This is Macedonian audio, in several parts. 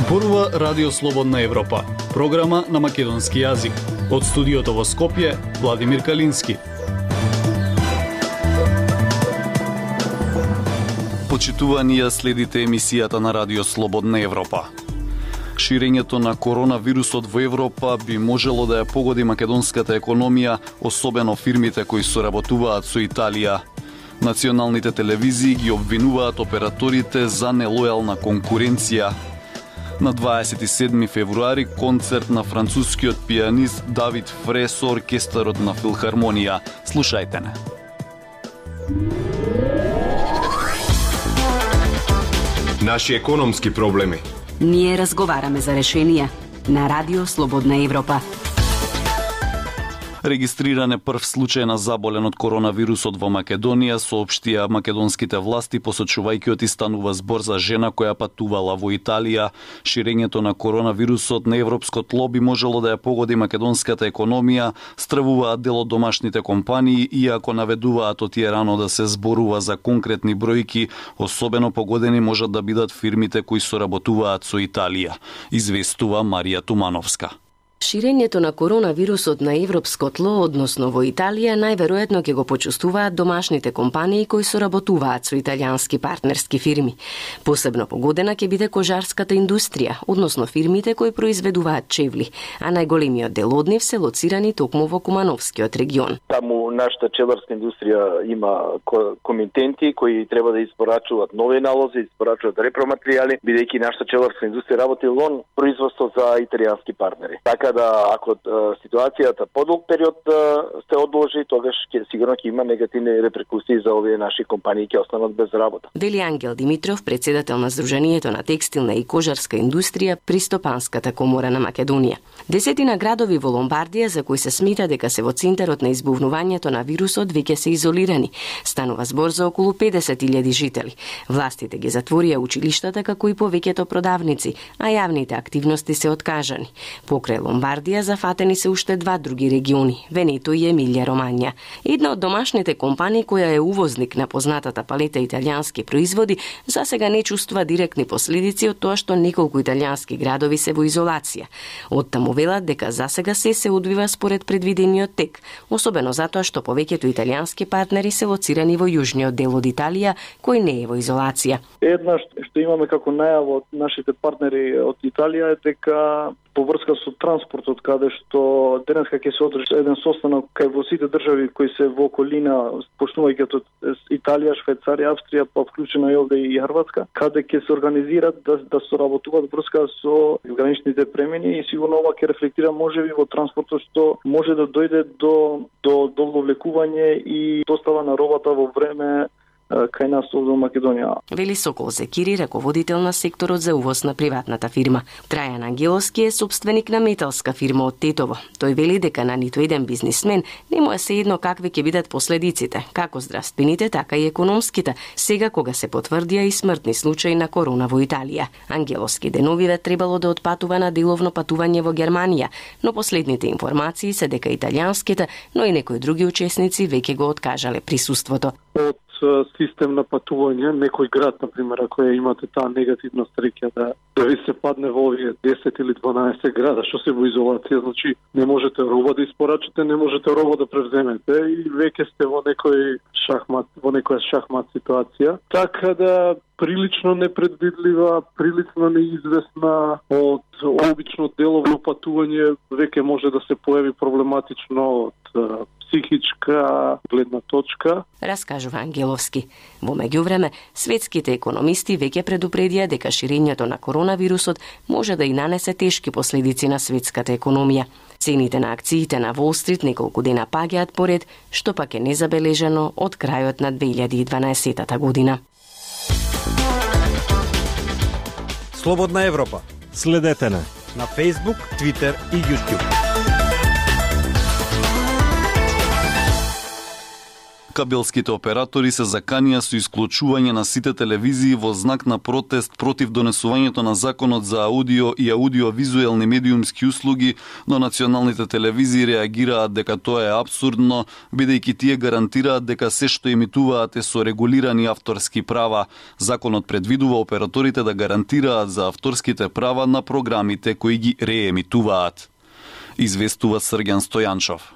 Зборува Радио Слободна Европа, програма на македонски јазик. Од студиото во Скопје, Владимир Калински. Почитувани, ја следите емисијата на Радио Слободна Европа. Ширењето на коронавирусот во Европа би можело да ја погоди македонската економија, особено фирмите кои соработуваат со Италија. Националните телевизии ги обвинуваат операторите за нелојална конкуренција. На 27 февруари концерт на францускиот пианист Давид Фре со оркестарот на Филхармонија. Слушајте не. Наши економски проблеми. Ние разговараме за решенија на Радио Слободна Европа. Регистриран е прв случај на заболен од коронавирусот во Македонија, соопштија македонските власти, посочувајќи отистанува збор за жена која патувала во Италија. Ширењето на коронавирусот на европско тло би можело да ја погоди македонската економија, стравуваат дел од домашните компании, иако наведуваат од тие рано да се зборува за конкретни бројки, особено погодени можат да бидат фирмите кои соработуваат со Италија, известува Марија Тумановска. Ширењето на коронавирусот на европско тло, односно во Италија, најверојатно ќе го почувствуваат домашните компании кои соработуваат со италијански партнерски фирми. Посебно погодена ќе биде кожарската индустрија, односно фирмите кои произведуваат чевли, а најголемиот дел од нив се лоцирани токму во Кумановскиот регион. Таму нашата чеварска индустрија има комитенти кои треба да испорачуваат нови налози, испорачуваат репроматеријали, бидејќи нашата чеварска индустрија работи во производство за италијански партнери. Така да ако ситуацијата подолг период се одложи, тогаш сигурно ќе има негативни репрекусии за овие наши компании ќе останат без работа. Вели Ангел Димитров, председател на Сдруженијето на текстилна и кожарска индустрија при Стопанската комора на Македонија. Десетина градови во Ломбардија за кои се смета дека се во центарот на избувнувањето на вирусот веќе се изолирани. Станува збор за околу 50.000 жители. Властите ги затворија училиштата како и повеќето продавници, а јавните активности се откажани. Покрај Ломбардија зафатени се уште два други региони, Венето и Емилија Ромања. Една од домашните компании која е увозник на познатата палета италијански производи, засега не чувствува директни последици од тоа што неколку италијански градови се во изолација. Оттаму велат дека засега се одвива според предвидениот тек, особено затоа што повеќето италијански партнери се лоцирани во јужниот дел од Италија, кој не е во изолација. Една што имаме како најава од нашите партнери од Италија е дека по врска со транспортот, каде што денеска ќе се одржи еден состанок кај во сите држави кои се во околина, почнувајќи од Италија, Швајцарија, Австрија, па вклучено и овде и Хрватска, каде ќе се организираат да соработуваат врска со граничните премини и сигурно ова ќе рефлектира можеби во транспортот што може да дојде до довлекување и достава на робата во време кај нас овде во Македонија. Вели Сокол Зекири, раководител на секторот за увоз на приватната фирма. Трајан Ангеловски е собственик на металска фирма од Тетово. Тој вели дека на ниту еден бизнисмен не му е сеедно какви ќе бидат последиците, како здравствените, така и економските, сега кога се потврдија и смртни случаи на корона во Италија. Ангеловски деновиве требало да отпатува на деловно патување во Германија, но последните информации се дека италијанските, но и некои други учесници веќе го откажале присуството. Систем на патување, некој град, например, ако имате таа негативна среќа да ви се падне во овие 10 или 12 града, што се во изолација, значи не можете роба да испорачате, не можете роба да превземете и веќе сте во некоја шахмат ситуација. Така да прилично непредвидлива, прилично неизвестна, од обично деловно патување веќе може да се појави проблематично од психичка гледна точка. Раскажува Ангеловски. Во меѓувреме, светските економисти веќе предупредија дека ширењето на коронавирусот може да и нанесе тешки последици на светската економија. Цените на акциите на Wall Street неколку дена паѓаат поред, што пак е незабележано од крајот на 2012 година. Слободна Европа. Следете на Facebook, Twitter и YouTube. Кабелските оператори се заканија со исклучување на сите телевизии во знак на протест против донесувањето на законот за аудио и аудиовизуелни медиумски услуги, но националните телевизии реагираат дека тоа е апсурдно, бидејќи тие гарантираат дека се што емитуваат е со регулирани авторски права. Законот предвидува операторите да гарантираат за авторските права на програмите кои ги реемитуваат. Известува Срѓан Стојанчов.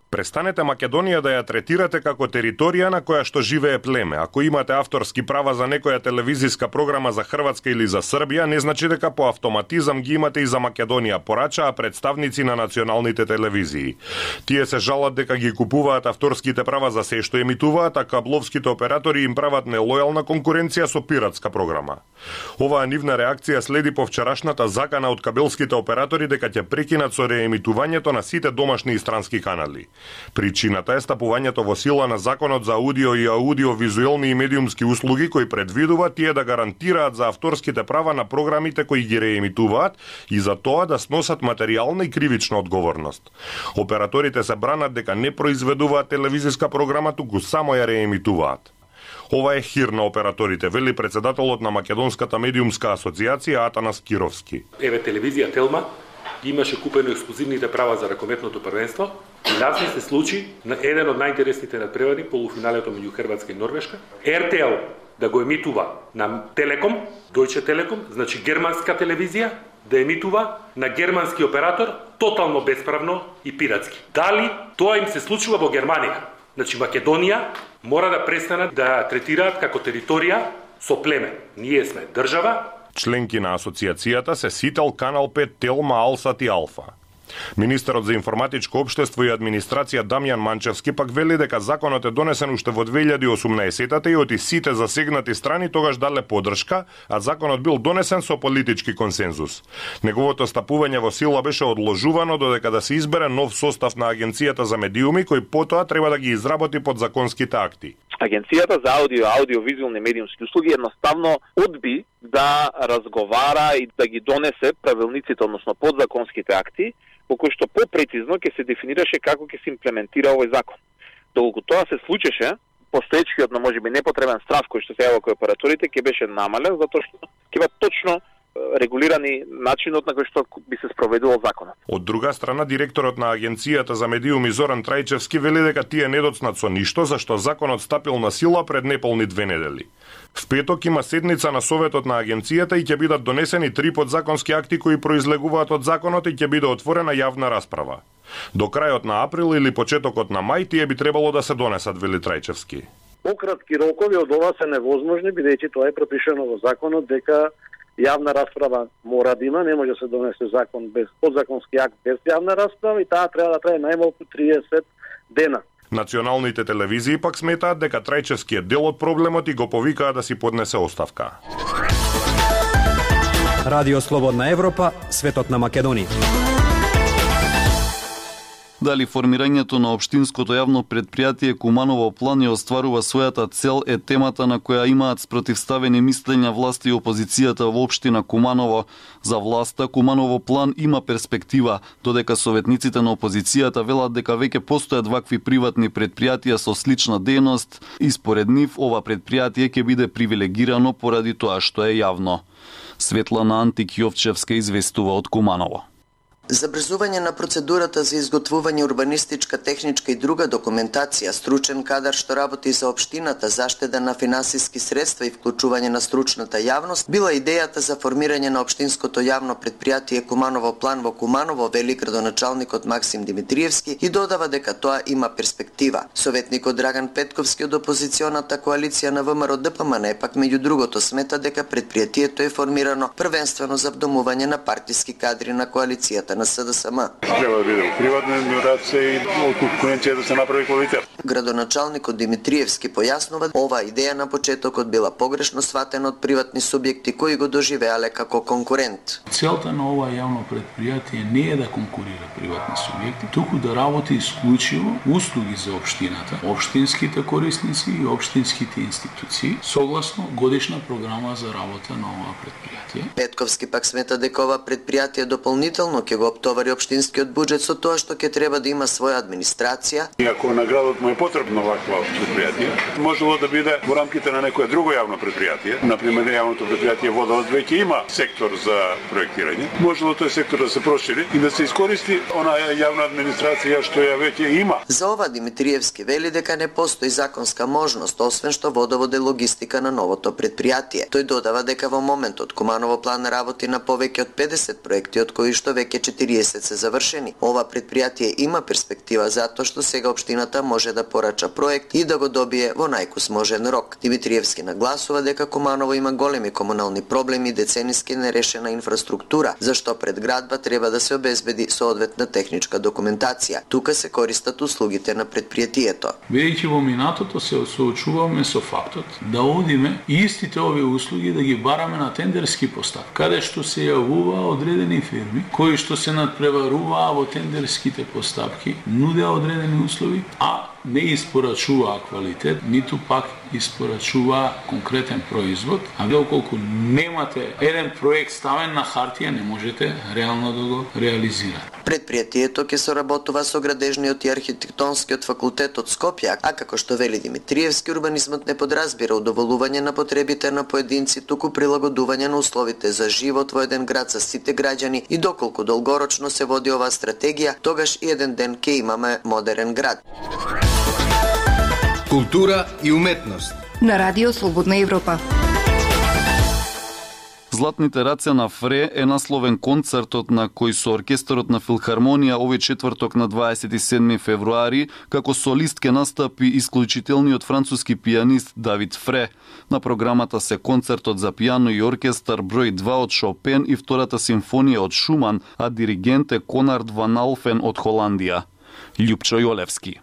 Престанете Македонија да ја третирате како територија на која што живее племе. Ако имате авторски права за некоја телевизиска програма за Хрватска или за Србија, не значи дека по автоматизам ги имате и за Македонија, порачаа представници на националните телевизии. Тие се жалат дека ги купуваат авторските права за се што емитуваат, а кабловските оператори им прават нелојална конкуренција со пиратска програма. Оваа нивна реакција следи по вчерашната закана од кабелските оператори дека ќе прекинат со реемитувањето на сите домашни и странски канали. Причината е стапувањето во сила на законот за аудио и аудиовизуелни и медиумски услуги кој предвидува тие да гарантираат за авторските права на програмите кои ги реемитуваат и за тоа да сносат материјална и кривична одговорност. Операторите се бранат дека не произведуваат телевизиска програма, туку само ја реемитуваат. Ова е хир на операторите, вели председателот на Македонската медиумска асоциација Атанас Кировски. Еве телевизија Телма имаше купено ексклузивните права за ракометното првенство и нас се случи на еден од најинтересните надпревари, полуфиналето меѓу Хрватска и Норвешка, RTL да го емитува на Телеком, Deutsche Telekom, значи германска телевизија, да емитува на германски оператор тотално бесправно и пиратски. Дали тоа им се случува во Германија? Значи Македонија мора да престанат да третираат како територија со племе. Ние сме држава. Членки на асоциацијата се Сител, Канал 5, Телма, Алсат и Алфа. Министерот за информатичко општество и администрација Дамјан Манчевски пак вели дека законот е донесен уште во 2018-та и оти сите засегнати страни тогаш дале поддршка, а законот бил донесен со политички консензус. Неговото стапување во сила беше одложувано додека да се избере нов состав на Агенцијата за медиуми кој потоа треба да ги изработи подзаконските акти. Агенцијата за аудиовизуелни медиумски услуги едноставно одби да разговара и да ги донесе правилниците, односно подзаконските акти, по кои што попрецизно ќе се дефинираше како ќе се имплементира овој закон. Доколку тоа се случеше, постоечкиот, но можеби непотребен страв кој што се јавува кој операторите ќе беше намален, затоа што ќе има точно регулирани начинот на кој што би се спроведувал законот. Од друга страна, директорот на Агенцијата за медиуми Зоран Трајчевски вели дека тие не доцнат со ништо, зашто законот стапил на сила пред неполни 2 недели. В петок има седница на Советот на Агенцијата и ќе бидат донесени 3 подзаконски акти кои произлегуваат од законот и ќе биде отворена јавна расправа. До крајот на април или почетокот на мај тие би требало да се донесат, вели Трајчевски. Пократки рокови од ова се невозможни, бидејќи тоа е пропишано во законот дека јавна расправа мора да има, не може да се донесе закон без подзаконски акт без јавна расправа и таа треба да трае најмалку 30 дена. Националните телевизии пак сметаат дека Трајчевски е дел од проблемот и го повикаа да си поднесе оставка. Радио Слободна Европа, светот на Македонија. Дали формирањето на општинското јавно предпријатие Куманово план ја остварува својата цел е темата на која имаат спротивставени мислења власти и опозицијата во општина Куманово. За власта Куманово план има перспектива, додека советниците на опозицијата велат дека веќе постојат вакви приватни предпријатија со слична дејност и според нив ова предпријатие ќе биде привилегирано поради тоа што е јавно. Светлана Антик-Јовчевска известува од Куманово. Забрзување на процедурата за изготвување урбанистичка, техничка и друга документација, стручен кадар што работи за општината, заштеда на финансиски средства и вклучување на стручната јавност, била идејата за формирање на општинското јавно предпријатие Куманово план во Куманово, вели градоначалникот Максим Димитриевски и додава дека тоа има перспектива. Советникот Драган Петковски од опозиционата коалиција на ВМРО ДПМН пак меѓу другото смета дека предпријатието е формирано првенствено за вдомување на партиски кадри на коалицијата на СДСМ. Треба да биде приватна администрација и конкуренција да се направи квалитет. Градоначалникот Димитриевски појаснува, оваа идеја на почетокот била погрешно сватена од приватни субјекти кои го доживеале како конкурент. Целта на ова јавно предпријатие не е да конкурира приватни субјекти, туку да работи исклучиво услуги за општината, општинските корисници и општинските институции, согласно годишна програма за работа на ова предпријатие. Петковски пак смета дека ова предпријатие дополнително ќе го оптовари општинскиот буџет со тоа што ќе треба да има своја администрација. Иако на градот му е потребно ваква предпријатие, можело да биде во рамките на некое друго јавно предпријатие. Например, јавното предпријатие Водовод веќе има сектор за проектирање. Можело тој сектор да се прошири и да се искористи онаа јавна администрација што ја веќе има. За ова Димитриевски вели дека не постои законска можност, освен што Водовод е логистика на новото предпријатие. Тој додава дека во моментот Куманово план работи на повеќе од 50 проекти, од кои што веќе 40 се завршени. Ова предпријатие има перспектива затоа што сега општината може да порача проект и да го добие во најкусможен рок. Димитриевски нагласува дека Куманово има големи комунални проблеми и децениски нерешена инфраструктура, зашто пред градба треба да се обезбеди соодветна техничка документација. Тука се користат услугите на предпријатието. Бидејќи во минатото се соочуваме со фактот да одиме истите овие услуги да ги бараме на тендерски постапки, каде што се јавува одредени фирми кои што се надпреваруваа во тендерските постапки, нудеа одредени услови, а не испорачуваа квалитет, ниту пак испорачуваа конкретен производ, а доколку немате еден проект ставен на хартија, не можете реално да го реализирате. Предпријатието ќе соработува со градежниот и архитектонскиот факултет од Скопје, а како што вели Димитриевски, урбанизмот не подразбира удоволување на потребите на поединци, туку прилагодување на условите за живот во еден град за сите граѓани и доколку долгорочно се води оваа стратегија, тогаш и еден ден ќе имаме модерен град. Култура и уметност на Радио Слободна Европа. Златните раце на Фре е насловен концертот на кој со оркестарот на Филхармонија овој четврток на 27 февруари како солист ке настапи исклучителниот француски пианист Давид Фре. На програмата се концертот за пијано и оркестар број 2 од Шопен и втората симфонија од Шуман, а диригент е Конрад ван Алфен од Холандија. Љупчо Јолевски.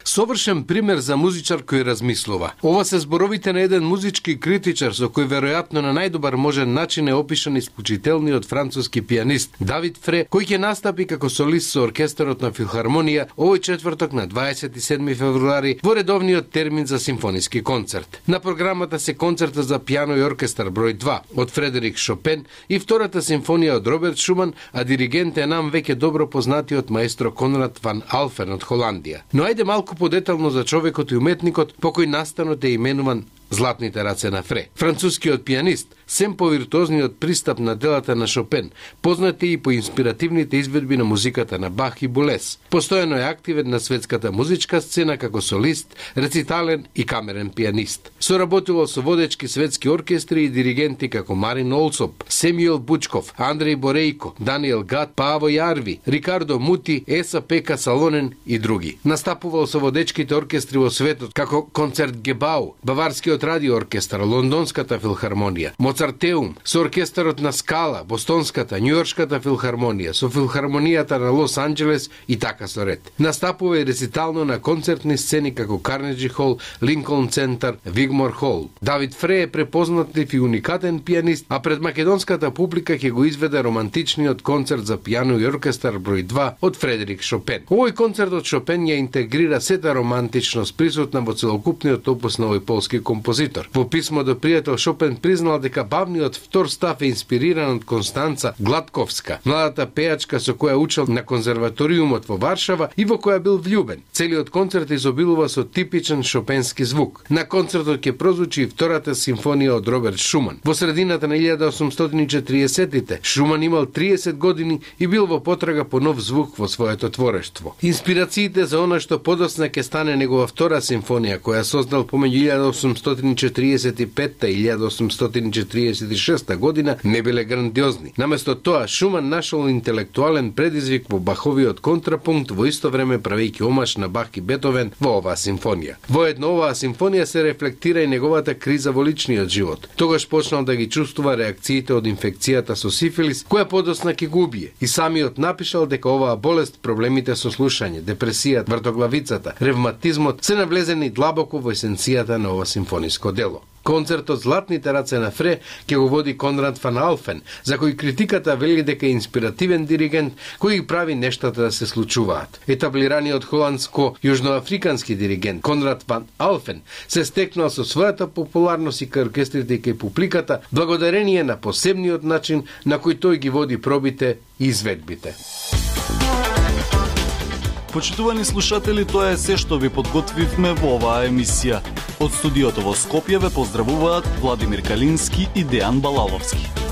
Совршен пример за музичар кој размислува. Ова се зборовите на еден музички критичар со кој веројатно на најдобар можен начин е опишан исклучителниот француски пианист Давид Фре, кој ќе настапи како солист со оркестарот на Филхармонија овој четврток на 27 февруари во редовниот термин за симфониски концерт. На програмата се концерта за пијано и оркестар број 2 од Фредерик Шопен и втората симфонија од Роберт Шуман, а диригент е нам веќе добро познатиот маестро Конрад ван Алфен од Холандија. Но ајде малку подетално за човекот и уметникот по кој настанот е именуван Златните раце на Фре. Францускиот пианист, сем по виртуозниот пристап на делата на Шопен, познат и по инспиративните изведби на музиката на Бах и Болес. Постојано е активен на светската музичка сцена како солист, рецитален и камерен пианист. Соработувал со водечки светски оркестри и диригенти како Марин Олсоп, Семјуел Бучков, Андреј Борејко, Даниел Гат, Паво Јарви, Рикардо Мути, Еса Пека Салонен и други. Настапувал со водечките оркестри во светот како Концерт Гебау, Баварскиот радио оркестар, Лондонската филхармонија, Моцартеум, со оркестарот на Скала, Бостонската, Њујоршката филхармонија, со филхармонијата на Лос Анџелес и така со ред. Настапува и рецитално на концертни сцени како Карнеджи Хол, Линколн Центар, Вигмор Хол. Давид Фре е препознатлив и уникатен пианист, а пред македонската публика ќе го изведе романтичниот концерт за пијано и оркестар број 2 од Фредерик Шопен. Овој концерт од Шопен ја интегрира сета романтичност присутна во целокупниот опус на овој полски композитор. Во писмо до пријател Шопен признал дека бавниот втор став е инспириран од Констанца Гладковска, младата пејачка со која учел на конзерваториумот во Варшава и во која бил влюбен. Целиот концерт изобилува со типичен шопенски звук. На концертот ќе прозвучи и втората симфонија од Роберт Шуман. Во средината на 1840-тите Шуман имал 30 години и бил во потрага по нов звук во своето творештво. Инспирациите за она што подосна ќе стане негова втора симфонија која создал помеѓу 1845 и 1846 година не биле грандиозни. Наместо тоа, Шуман нашол интелектуален предизвик во Баховиот контрапункт, во исто време правејќи омаш на Бах и Бетовен во оваа симфонија. Воедно оваа симфонија се рефлектира и неговата криза во личниот живот. Тогаш почнал да ги чувствува реакциите од инфекцијата со сифилис, која подосна ќе го убие. И самиот напишал дека оваа болест, проблемите со слушање, депресијата, вртоглавицата, ревматизмот се навлезени длабоко во есенцијата на ова симфониско дело. Концертот Златните раце на Фре ќе го води Конрад ван Алфен, за кој критиката вели дека е инспиративен диригент кој прави нештата да се случуваат. Етаблираниот холандско-јужноафрикански диригент Конрад ван Алфен се стекнал со својата популарност и кај оркестрите и кај публиката благодарение на посебниот начин на кој тој ги води пробите и изведбите. Почитувани слушатели, тоа е се што ви подготвивме во оваа емисија. Од студиото во Скопје ве поздравуваат Владимир Калински и Дејан Балаловски.